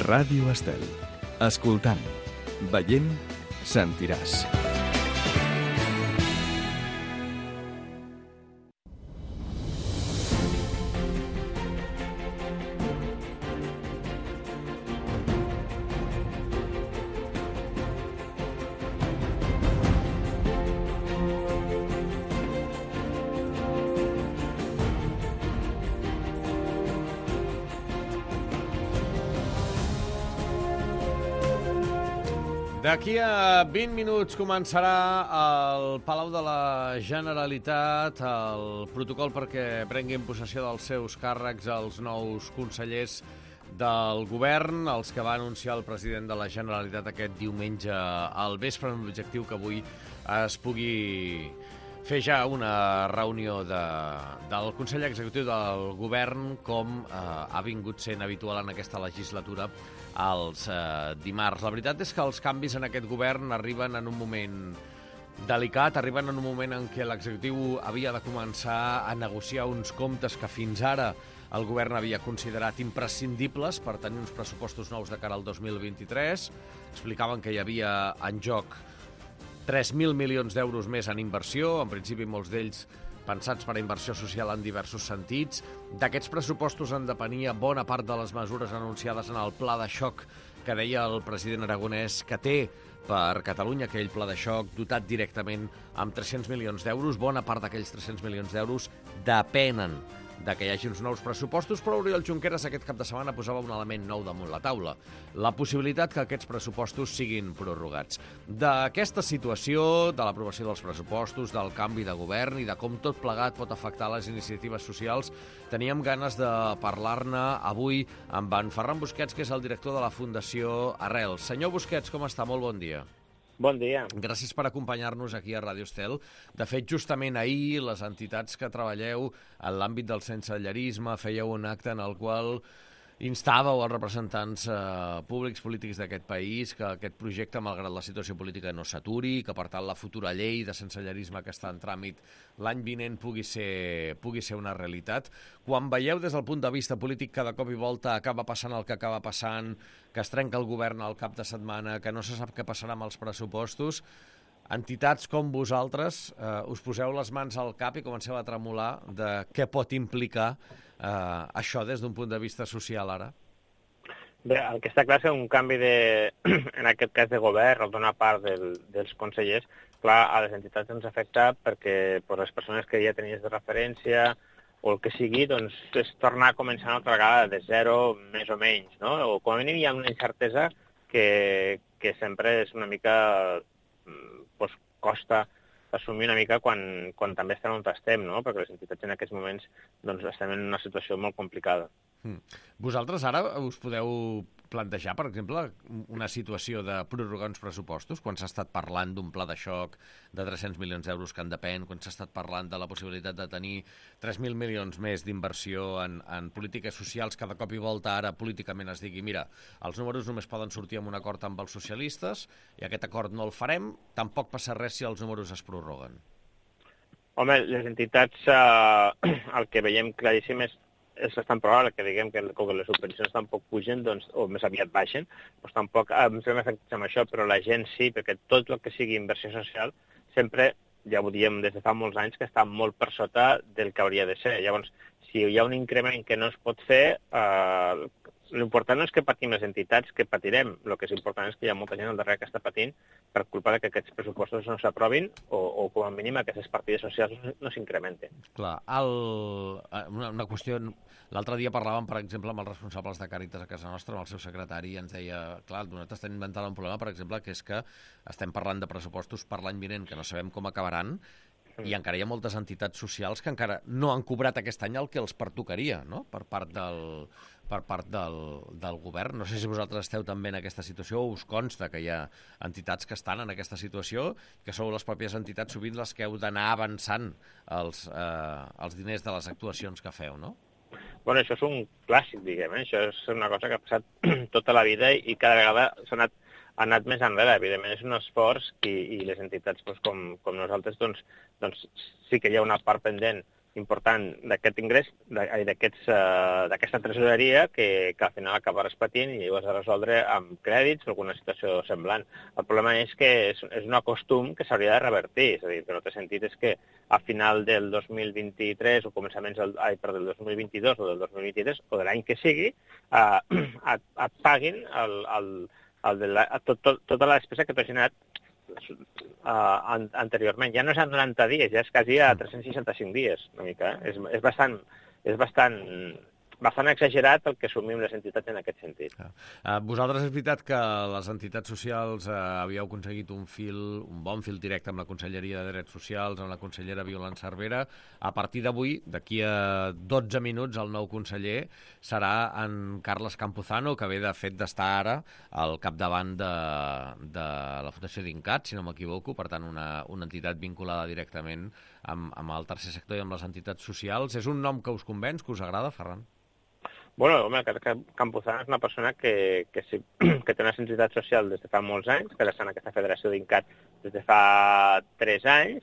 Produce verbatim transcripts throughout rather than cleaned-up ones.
Ràdio Estel. Escoltant, veient, sentiràs. D'aquí a vint minuts començarà al Palau de la Generalitat el protocol perquè prenguin possessió dels seus càrrecs els nous consellers del govern, els que va anunciar el president de la Generalitat aquest diumenge al vespre, amb l'objectiu que avui es pugui fer ja una reunió de, del Consell Executiu del Govern, com eh, ha vingut sent habitual en aquesta legislatura els eh, dimarts. La veritat és que els canvis en aquest govern arriben en un moment delicat, arriben en un moment en què l'executiu havia de començar a negociar uns comptes que fins ara el govern havia considerat imprescindibles per tenir uns pressupostos nous de cara al dos mil vint-i-tres. Explicaven que hi havia en joc tres mil milions d'euros més en inversió, en principi molts d'ells pensats per a inversió social en diversos sentits. D'aquests pressupostos en depenia bona part de les mesures anunciades en el pla de xoc que deia el president Aragonès que té per Catalunya, aquell pla de xoc dotat directament amb tres-cents milions d'euros. Bona part d'aquells tres-cents milions d'euros depenen de que hi hagi uns nous pressupostos, però Oriol Junqueras aquest cap de setmana posava un element nou damunt la taula, la possibilitat que aquests pressupostos siguin prorrogats. D'aquesta situació, de l'aprovació dels pressupostos, del canvi de govern i de com tot plegat pot afectar les iniciatives socials, teníem ganes de parlar-ne avui amb en Ferran Busquets, que és el director de la Fundació Arrels. Senyor Busquets, com està? Molt bon dia. Bon dia. Gràcies per acompanyar-nos aquí a Ràdio Estel. De fet, justament ahir, les entitats que treballeu en l'àmbit del sensellarisme fèieu un acte en el qual instàveu als representants eh, públics polítics d'aquest país que aquest projecte, malgrat la situació política, no s'aturi, que per tant la futura llei de sensellarisme que està en tràmit l'any vinent pugui ser, pugui ser una realitat. Quan veieu des del punt de vista polític que de cop i volta acaba passant el que acaba passant, que es trenca el govern al cap de setmana, que no se sap què passarà amb els pressupostos, entitats com vosaltres eh, us poseu les mans al cap i comenceu a tremolar de què pot implicar Uh, això des d'un punt de vista social ara? Bé, el que està clar és un canvi de, en aquest cas de govern o d'una part del, dels consellers, clar, a les entitats ens afecta perquè per les persones que ja tenies de referència o el que sigui, doncs és tornar a començar una altra vegada de zero, més o menys, no? O com a mínim hi ha una incertesa que, que sempre és una mica, doncs, costa assumir una mica quan, quan també estem on estem, no? Perquè les entitats en aquests moments doncs, estem en una situació molt complicada. Mm. Vosaltres ara us podeu plantejar, per exemple, una situació de prorrogar uns pressupostos, quan s'ha estat parlant d'un pla de xoc de tres-cents milions d'euros que en depèn, quan s'ha estat parlant de la possibilitat de tenir tres mil milions més d'inversió en, en polítiques socials, que de cop i volta ara políticament es digui, mira, els números només poden sortir amb un acord amb els socialistes i aquest acord no el farem, tampoc passa res si els números es prorroguen. Home, les entitats, eh, el que veiem claríssim és és bastant probable que diguem que com que les subvencions tampoc pugen, doncs, o més aviat baixen, doncs tampoc ens hem afectat amb això, però la gent sí, perquè tot el que sigui inversió social sempre, ja ho diem des de fa molts anys, que està molt per sota del que hauria de ser. Llavors, si hi ha un increment que no es pot fer, eh, l'important no és que patim les entitats, que patirem. El que és important és que hi ha molta gent al darrere que està patint per culpa de que aquests pressupostos no s'aprovin o, o com a mínim aquestes partides socials no s'incrementen. Clar, el, una, una qüestió... L'altre dia parlàvem, per exemple, amb els responsables de Càritas a casa nostra, amb el seu secretari, i ens deia, clar, nosaltres estem inventant un problema, per exemple, que és que estem parlant de pressupostos per l'any vinent, que no sabem com acabaran, i encara hi ha moltes entitats socials que encara no han cobrat aquest any el que els pertocaria, no?, per part del, per part del, del govern. No sé si vosaltres esteu també en aquesta situació o us consta que hi ha entitats que estan en aquesta situació, que sou les pròpies entitats sovint les que heu d'anar avançant els, eh, els diners de les actuacions que feu, no? Bueno, això és un clàssic, diguem, eh? Això és una cosa que ha passat tota la vida i cada vegada s'ha anat, ha anat més enrere. Evidentment és un esforç i, i les entitats doncs, com, com nosaltres doncs, doncs, sí que hi ha una part pendent important d'aquest ingrés, d'aquesta tresoreria, que, que al final acaba repetint i ho has de resoldre amb crèdits o alguna situació semblant. El problema és que és, és un costum que s'hauria de revertir, és a dir, que no té sentit és que a final del dos mil vint-i-tres o començaments del, ai, perdó, del dos mil vint-i-dos o del dos mil vint-i-tres o de l'any que sigui, eh, et, et paguin el, el, el de la, tot, tot, tota la despesa que t'ha generat Uh, an anteriorment. Ja no és a noranta dies, ja és quasi a tres-cents seixanta-cinc dies, una mica. Eh? És, és, bastant, és bastant, bastant exagerat el que assumim les entitats en aquest sentit. Uh, vosaltres és veritat que les entitats socials uh, havíeu aconseguit un fil, un bon fil directe amb la Conselleria de Drets Socials, amb la consellera Violant Cervera. A partir d'avui, d'aquí a dotze minuts, el nou conseller serà en Carles Campuzano, que ve de fet d'estar ara al capdavant de, de la Fundació Dincat, si no m'equivoco, per tant una, una entitat vinculada directament amb, amb el tercer sector i amb les entitats socials. És un nom que us convenç, que us agrada, Ferran? Bueno, home, Campuzano és una persona que, que, sí, que té una sensibilitat social des de fa molts anys, que està en aquesta federació d'Incat des de fa tres anys,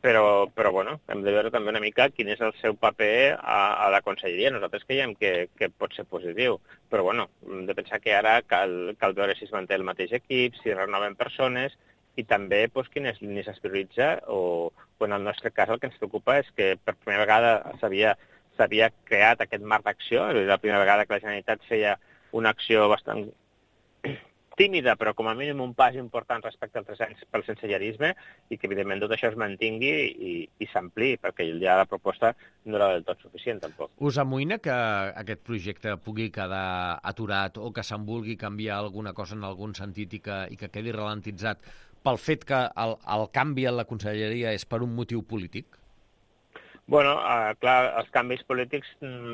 però, però bueno, hem de veure també una mica quin és el seu paper a, a la conselleria. Nosaltres creiem que, que pot ser positiu, però bueno, hem de pensar que ara cal, cal veure si es manté el mateix equip, si renoven persones, i també doncs, quines línies es prioritza, o, o en el nostre cas el que ens preocupa és que per primera vegada s'havia s'havia creat aquest marc d'acció, és la primera vegada que la Generalitat feia una acció bastant tímida, però com a mínim un pas important respecte als tres anys pel sensellarisme, i que evidentment tot això es mantingui i, i s'ampliï, perquè ja la proposta no era del tot suficient tampoc. Us amoïna que aquest projecte pugui quedar aturat o que se'n vulgui canviar alguna cosa en algun sentit i que, i que quedi ralentitzat pel fet que el, el canvi en la conselleria és per un motiu polític? Bueno, uh, clar, els canvis polítics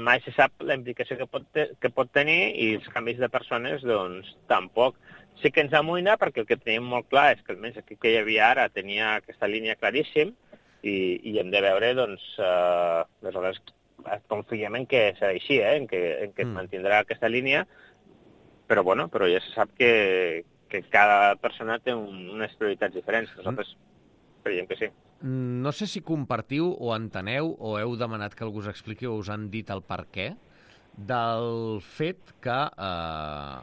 mai se sap la implicació que pot, te que pot tenir, i els canvis de persones, doncs, tampoc. Sí que ens amoïna perquè el que tenim molt clar és que almenys aquí que hi havia ara tenia aquesta línia claríssim, i, i hem de veure, doncs, uh, aleshores confiem en que serà així, eh? en que, en que es mantindrà aquesta línia, però, bueno, però ja se sap que, que cada persona té un, unes prioritats diferents. Nosaltres creiem que sí. No sé si compartiu o enteneu o heu demanat que algú us expliqui o us han dit el per què del fet que eh,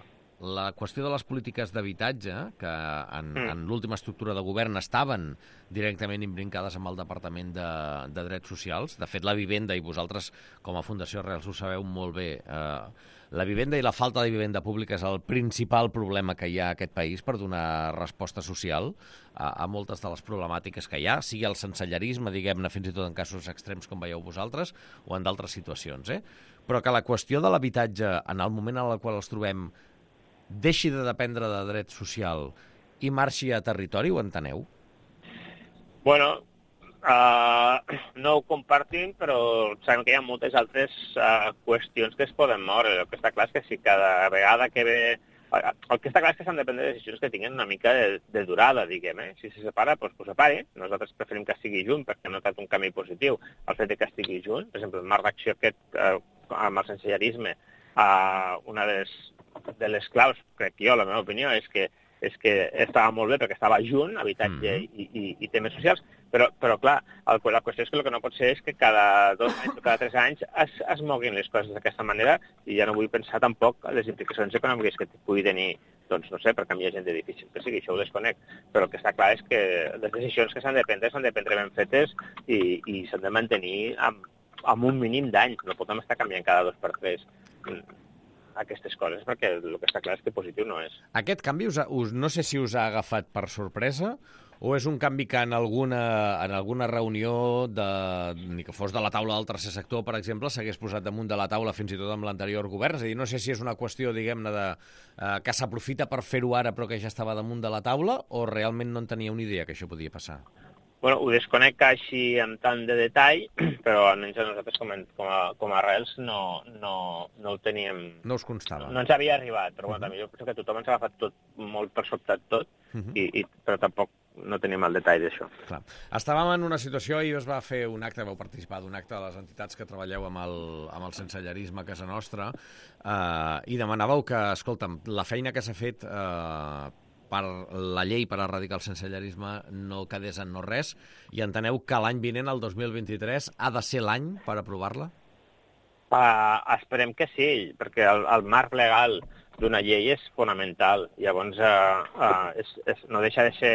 la qüestió de les polítiques d'habitatge, que en, mm. en l'última estructura de govern estaven directament imbrincades amb el Departament de, de Drets Socials. De fet, la vivenda, i vosaltres com a Fundació Arrels ho sabeu molt bé, eh, la vivenda i la falta de vivenda pública és el principal problema que hi ha a aquest país per donar resposta social a, a moltes de les problemàtiques que hi ha, sigui el sensellarisme, diguem-ne, fins i tot en casos extrems com veieu vosaltres, o en d'altres situacions. Eh? Però que la qüestió de l'habitatge, en el moment en el qual els trobem, deixi de dependre de dret social i marxi a territori, ho enteneu? Bueno, Uh, no ho compartim, però sabem que hi ha moltes altres uh, qüestions que es poden moure. El que està clar és que si cada vegada que ve... El que està clar és que s'han de prendre decisions que tinguin una mica de, de durada, diguem. Eh? Si se separa, doncs que ho separi. Nosaltres preferim que estigui junt perquè hem notat un canvi positiu. El fet de que estigui junt, per exemple, el marc d'acció aquest uh, amb el sensellarisme, uh, una de les, de les claus, crec jo, la meva opinió, és que és que estava molt bé perquè estava junt, habitatge mm -hmm. i, i, i temes socials, però, però clar, el, la qüestió és que el que no pot ser és que cada dos anys o cada tres anys es, es moguin les coses d'aquesta manera, i ja no vull pensar tampoc les implicacions econòmiques que pugui tenir, doncs no sé, per canviar gent d'edifici, que sigui, això ho desconec, però el que està clar és que les decisions que s'han de prendre s'han de prendre ben fetes i, i s'han de mantenir amb, amb un mínim d'anys, no podem estar canviant cada dos per tres aquestes coses, perquè el que està clar és que positiu no és. Aquest canvi, us, us, no sé si us ha agafat per sorpresa, o és un canvi que en alguna, en alguna reunió, de, ni que fos de la taula del tercer sector, per exemple, s'hagués posat damunt de la taula fins i tot amb l'anterior govern? És a dir, no sé si és una qüestió, diguem-ne, de, eh, que s'aprofita per fer-ho ara però que ja estava damunt de la taula, o realment no en tenia una idea que això podia passar? Bueno, ho desconec així amb tant de detall, però almenys a nosaltres com a, com a, com a Arrels no, no, no ho teníem... No us constava. No ens havia arribat, però uh -huh. bueno, també jo penso que tothom ens ha agafat tot molt per sobtat tot, uh -huh. i, i, però tampoc no tenim el detall d'això. Clar. Estàvem en una situació, i es va fer un acte, vau participar d'un acte de les entitats que treballeu amb el, amb el sensellarisme a casa nostra, eh, i demanàveu que, escolta'm, la feina que s'ha fet... Eh, per la llei per erradicar el sensellarisme no quedés en no res, i enteneu que l'any vinent, el dos mil vint-i-tres, ha de ser l'any per aprovar-la? Uh, esperem que sí, perquè el, el marc legal d'una llei és fonamental. Llavors, uh, uh, és, és, no deixa de ser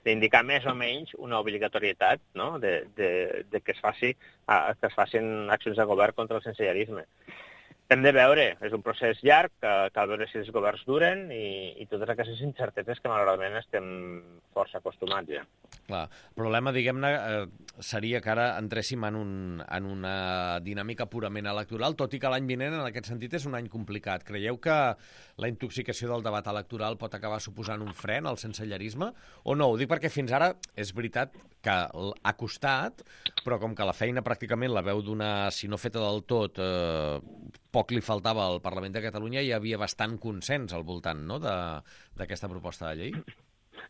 d'indicar més o menys una obligatorietat, no? de, de, de que, es faci, uh, que es facin accions de govern contra el sensellarisme. Hem de veure, és un procés llarg, que cal veure si els governs duren i, i totes aquestes incerteses que malauradament estem força acostumats ja. Clar, el problema, diguem-ne, eh, seria que ara entréssim en, un, en una dinàmica purament electoral, tot i que l'any vinent, en aquest sentit, és un any complicat. Creieu que la intoxicació del debat electoral pot acabar suposant un fren al sensellarisme? O no? Ho dic perquè fins ara és veritat que ha costat, però com que la feina pràcticament la veu d'una, si no feta del tot, eh, poc li faltava al Parlament de Catalunya, hi havia bastant consens al voltant, no?, d'aquesta proposta de llei.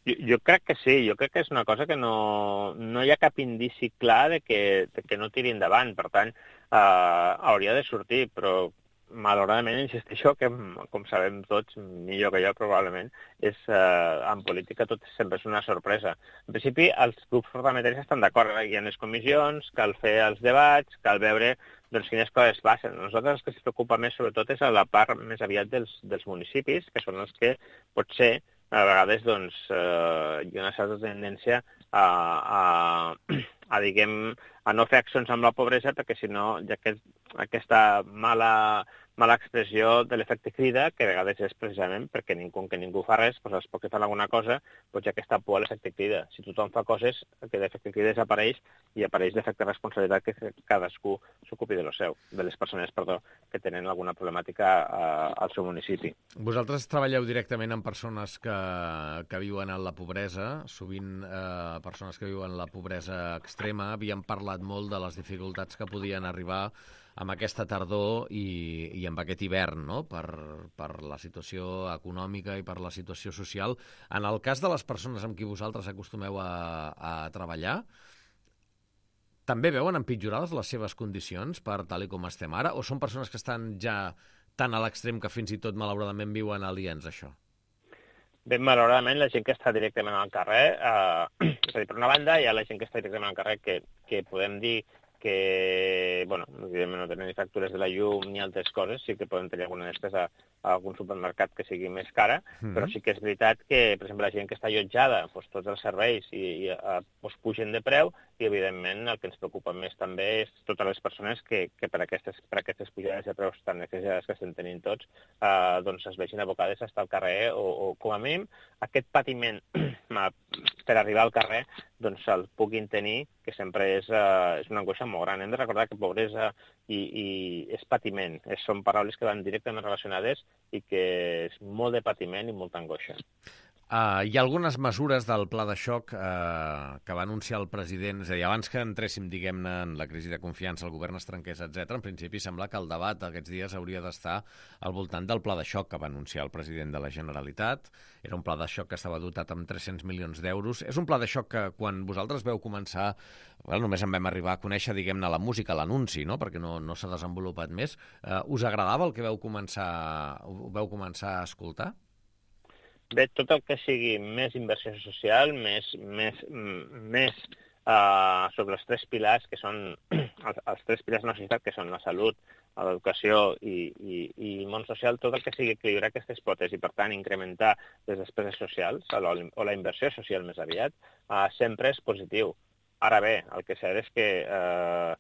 Jo, jo crec que sí, jo crec que és una cosa que no, no hi ha cap indici clar de que, de que no tiri endavant, per tant, eh, hauria de sortir, però malauradament, insisteixo, que com sabem tots, millor que jo probablement, és, eh, en política tot sempre és una sorpresa. En principi, els grups parlamentaris estan d'acord, hi ha les comissions, cal fer els debats, cal veure doncs, quines coses passen. Nosaltres el que ens preocupa més, sobretot, és a la part més aviat dels, dels municipis, que són els que potser a vegades doncs, eh, hi ha una certa tendència a, a, a, diguem, a no fer accions amb la pobresa, perquè si no, ja que aquesta mala, mala expressió de l'efecte crida, que a vegades és precisament perquè ningú, que ningú fa res, doncs els pocs que fan alguna cosa, doncs ja aquesta por a l'efecte crida. Si tothom fa coses, que l'efecte crida desapareix i apareix l'efecte responsabilitat que cadascú s'ocupi de lo seu, de les persones, perdó, que tenen alguna problemàtica eh, al seu municipi. Vosaltres treballeu directament amb persones que, que viuen en la pobresa, sovint eh, persones que viuen en la pobresa extrema. Havíem parlat molt de les dificultats que podien arribar amb aquesta tardor i, i amb aquest hivern, no?, per, per la situació econòmica i per la situació social. En el cas de les persones amb qui vosaltres acostumeu a, a treballar, també veuen empitjorades les seves condicions per tal i com estem ara, o són persones que estan ja tan a l'extrem que fins i tot malauradament viuen aliens a això? Bé, malauradament, la gent que està directament al carrer, eh, és a dir, per una banda, hi ha la gent que està directament al carrer que, que podem dir que, bueno, evidentment no tenen ni factures de la llum ni altres coses, sí que poden tenir alguna despesa a algun supermercat que sigui més cara, mm-hmm. però sí que és veritat que, per exemple, la gent que està allotjada, doncs, tots els serveis i, i doncs, pugen de preu, i evidentment el que ens preocupa més també és totes les persones que, que per, aquestes, per aquestes pujades de preus tan exagerades que estem tenint tots, eh, doncs es vegin abocades a estar al carrer o, o com a mínim, aquest patiment per arribar al carrer doncs el puguin tenir, que sempre és, uh, és una angoixa molt gran. Hem de recordar que pobresa i, i és patiment. És, són paraules que van directament relacionades i que és molt de patiment i molta angoixa. Uh, hi ha algunes mesures del pla de xoc uh, que va anunciar el president, és a dir, abans que entréssim, diguem-ne, en la crisi de confiança, el govern es trenqués, etcètera. En principi sembla que el debat aquests dies hauria d'estar al voltant del pla de xoc que va anunciar el president de la Generalitat. Era un pla de xoc que estava dotat amb tres-cents milions d'euros. És un pla de xoc que quan vosaltres veu començar, well, només en vam arribar a conèixer, diguem-ne, la música, l'anunci, no?, perquè no, no s'ha desenvolupat més. Uh, us agradava el que veu començar, veu començar a escoltar? Bé, tot el que sigui més inversió social, més, més, més uh, sobre els tres pilars, que són els, els tres pilars de la societat, que són la salut, l'educació i, i, i el món social, tot el que sigui equilibrar aquestes potes i, per tant, incrementar les despeses socials o la, o la inversió social més aviat, uh, sempre és positiu. Ara bé, el que sé és que eh,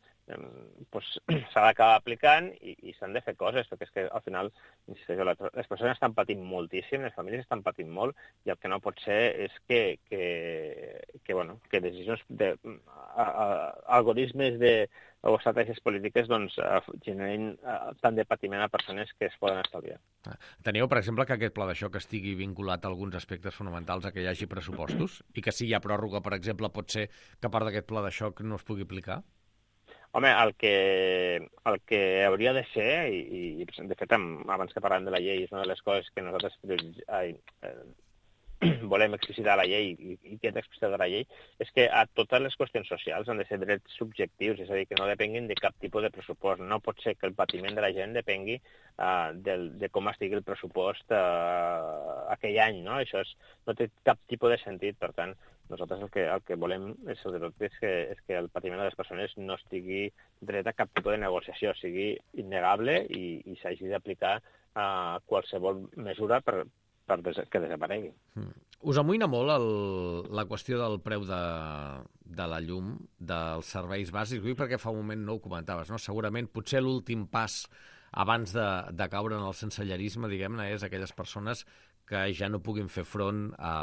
pues, s'ha d'acabar aplicant i, i s'han de fer coses, perquè és que al final les persones estan patint moltíssim, les famílies estan patint molt, i el que no pot ser és que, que, que, bueno, que decisions de a, a, algoritmes de, o estratègies polítiques doncs, generin tant de patiment a persones que es poden estalviar. Teniu, per exemple, que aquest pla de xoc estigui vinculat a alguns aspectes fonamentals a que hi hagi pressupostos i que si hi ha pròrroga, per exemple, pot ser que part d'aquest pla de xoc no es pugui aplicar? Home, el que, el que hauria de ser, i, i de fet, abans que parlàvem de la llei, és una de les coses que nosaltres ai, eh, volem explicitar la llei i, i que és explicitat la llei, és que a totes les qüestions socials han de ser drets subjectius, és a dir, que no depenguin de cap tipus de pressupost. No pot ser que el patiment de la gent depengui uh, del, de com estigui el pressupost uh, aquell any, no? Això és, no té cap tipus de sentit, per tant, nosaltres el que, el que volem és, sobretot, és, que, és que el patiment de les persones no estigui dret a cap tipus de negociació, sigui innegable i, i s'hagi d'aplicar a uh, qualsevol mesura per, per des que desaparegui. Mm. Us amoïna molt el, la qüestió del preu de, de la llum, dels serveis bàsics, perquè fa un moment no ho comentaves, no? Segurament potser l'últim pas abans de, de caure en el sensellerisme, diguem-ne, és aquelles persones que ja no puguin fer front a,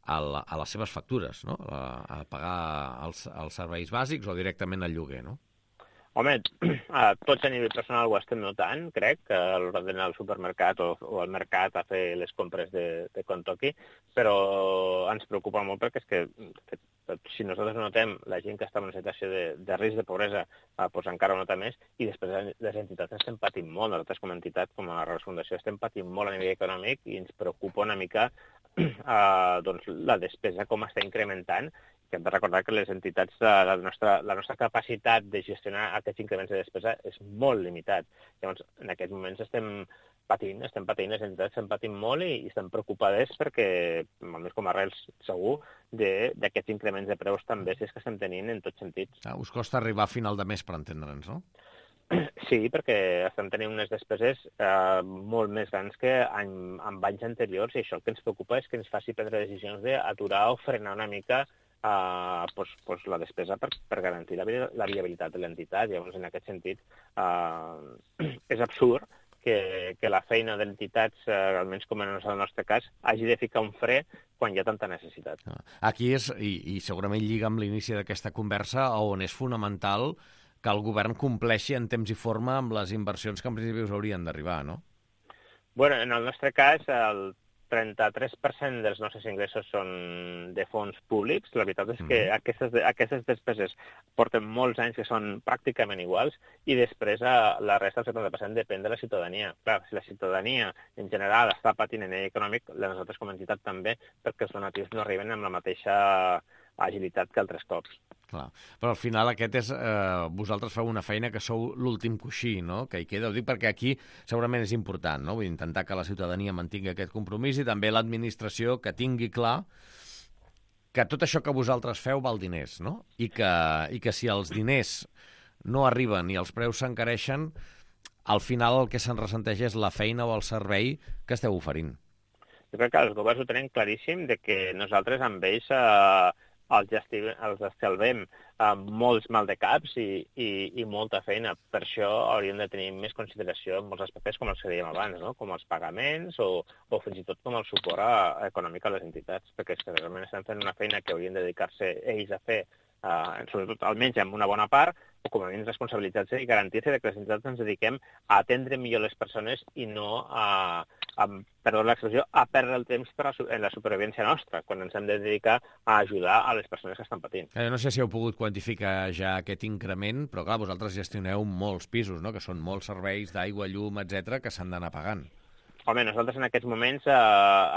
a, la, a les seves factures, no? A, a pagar els, els serveis bàsics o directament al lloguer, no? Home, tots a nivell personal ho estem notant, crec, que a l'hora d'anar al supermercat o, o al mercat a fer les compres de, de quan toqui, però ens preocupa molt perquè és que, que si nosaltres notem la gent que està en una situació de, de risc de pobresa, eh, doncs encara ho nota més, i després les entitats estem patint molt, nosaltres com a entitat, com a Reus Fundació, estem patint molt a nivell econòmic i ens preocupa una mica eh, doncs, la despesa com està incrementant, que hem de recordar que les entitats, la nostra, la nostra capacitat de gestionar aquests increments de despesa és molt limitat. Llavors, en aquests moments estem patint, estem patint, les entitats estem patint molt i, i estem preocupades perquè, almenys com a Reus, segur, d'aquests increments de preus tan bèsties que estem tenint en tots sentits. Ah, us costa arribar a final de mes, per entendre'ns, no? Sí, perquè estem tenint unes despeses eh, molt més grans que en, en anys anteriors, i això el que ens preocupa és que ens faci prendre decisions d'aturar o frenar una mica Uh, pues, pues la despesa per, per garantir la, la viabilitat de l'entitat. Llavors, en aquest sentit, uh, és absurd que, que la feina d'entitats, uh, almenys com en el nostre cas, hagi de ficar un fre quan hi ha tanta necessitat. Aquí és, i, i segurament lliga amb l'inici d'aquesta conversa, on és fonamental que el govern compleixi en temps i forma amb les inversions que en principi us haurien d'arribar, no? Bueno, en el nostre cas, el trenta-tres per cent dels nostres ingressos són de fons públics. La veritat és que mm. aquestes, aquestes despeses porten molts anys que són pràcticament iguals i després la resta, el setanta per cent, depèn de la ciutadania. Clar, si la ciutadania en general està patint en nivell econòmic, nosaltres com a entitat també, perquè els donatius no arriben amb la mateixa agilitat que altres cops. Clar. Però al final aquest és... Eh, vosaltres feu una feina que sou l'últim coixí, no?, que hi queda. Ho dic perquè aquí segurament és important, no?, vull intentar que la ciutadania mantingui aquest compromís i també l'administració que tingui clar que tot això que vosaltres feu val diners, no?, i que, i que si els diners no arriben i els preus s'encareixen, al final el que se'n ressenteix és la feina o el servei que esteu oferint. Jo crec que els governs ho tenen claríssim de que nosaltres amb ells eh, els, gestivem, els estalvem amb molts mal de caps i, i, i molta feina. Per això hauríem de tenir més consideració en molts aspectes com els que dèiem abans, no?, com els pagaments o, o fins i tot com el suport a, econòmic a les entitats, perquè és que realment estan fent una feina que haurien de dedicar-se ells a fer, uh, sobretot almenys amb una bona part, o com a mínim responsabilitzar-se i garantir-se que les entitats ens dediquem a atendre millor les persones i no a, a perdó l'expressió, a perdre el temps per a, en la supervivència nostra, quan ens hem de dedicar a ajudar a les persones que estan patint. Eh, no sé si heu pogut quantificar ja aquest increment, però clar, vosaltres gestioneu molts pisos, no?, que són molts serveis d'aigua, llum, etcètera, que s'han d'anar pagant. Home, nosaltres en aquests moments eh,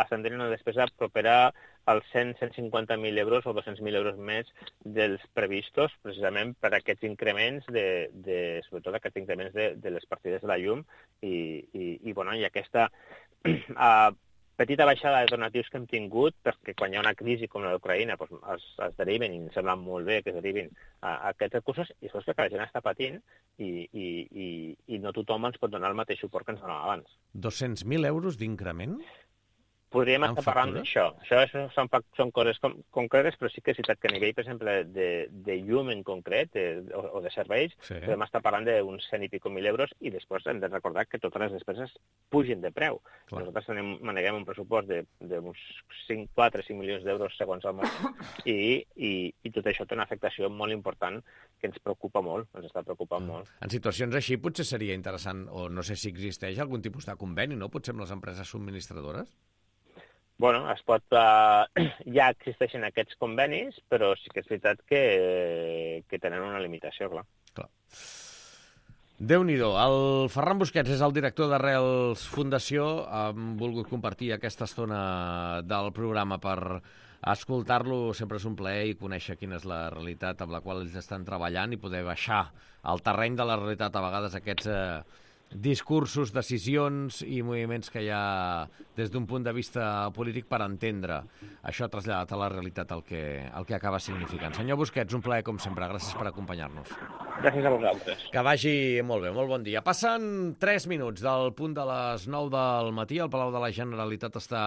estem tenint una despesa propera als cent a cent cinquanta mil euros o dos-cents mil euros més dels previstos, precisament per aquests increments, de, de, sobretot aquests increments de, de les partides de la llum i, i, i, bueno, i aquesta eh, petita baixada de donatius que hem tingut, perquè quan hi ha una crisi com la d'Ucraïna doncs es, es deriven, i em sembla molt bé que es derivin a, a aquests recursos, i això és que la gent està patint i, i, i, i no tothom ens pot donar el mateix suport que ens donava abans. dos-cents mil euros d'increment? Podríem estar parlant d'això. Això, això són, són coses com, concretes, però sí que és veritat que a nivell, per exemple, de, de llum en concret, de, o, o de serveis, sí, podem estar parlant d'uns cent i pico mil euros, i després hem de recordar que totes les despeses pugen de preu. Clar. Nosaltres tenim, maneguem un pressupost d'uns quatre o cinc milions d'euros segons el mes, i, i, i tot això té una afectació molt important que ens preocupa molt, ens està preocupant mm. molt. En situacions així potser seria interessant, o no sé si existeix algun tipus de conveni, no?, potser amb les empreses subministradores? Bueno, es pot, uh, ja existeixen aquests convenis, però sí que és veritat que, que tenen una limitació, clar. clar. Déu-n'hi-do. El Ferran Busquets és el director d'Arrels Fundació. Hem volgut compartir aquesta estona del programa per escoltar-lo. Sempre és un plaer i conèixer quina és la realitat amb la qual ells estan treballant i poder baixar al terreny de la realitat a vegades aquests eh, discursos, decisions i moviments que hi ha des d'un punt de vista polític per entendre això traslladat a la realitat el que, el que acaba significant. Senyor Busquets, un plaer com sempre. Gràcies per acompanyar-nos. Gràcies a vosaltres. Que vagi molt bé, molt bon dia. Passen tres minuts del punt de les nou del matí. El Palau de la Generalitat està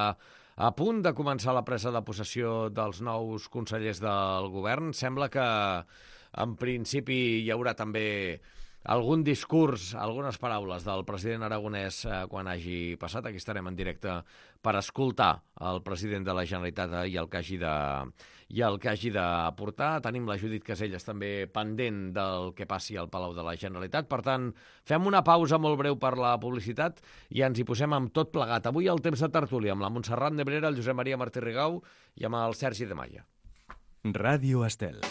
a punt de començar la presa de possessió dels nous consellers del govern. Sembla que, en principi, hi haurà també algun discurs, algunes paraules del president aragonès eh, quan hagi passat. Aquí estarem en directe per escoltar el president de la Generalitat eh, i el que hagi de, i el que hagi d'aportar. Tenim la Judit Caselles també pendent del que passi al Palau de la Generalitat. Per tant, fem una pausa molt breu per la publicitat i ens hi posem amb tot plegat. Avui el temps de tertúlia amb la Montserrat Nebrera, el Josep Maria Martí Rigau i amb el Sergi de Maia. Ràdio Estel.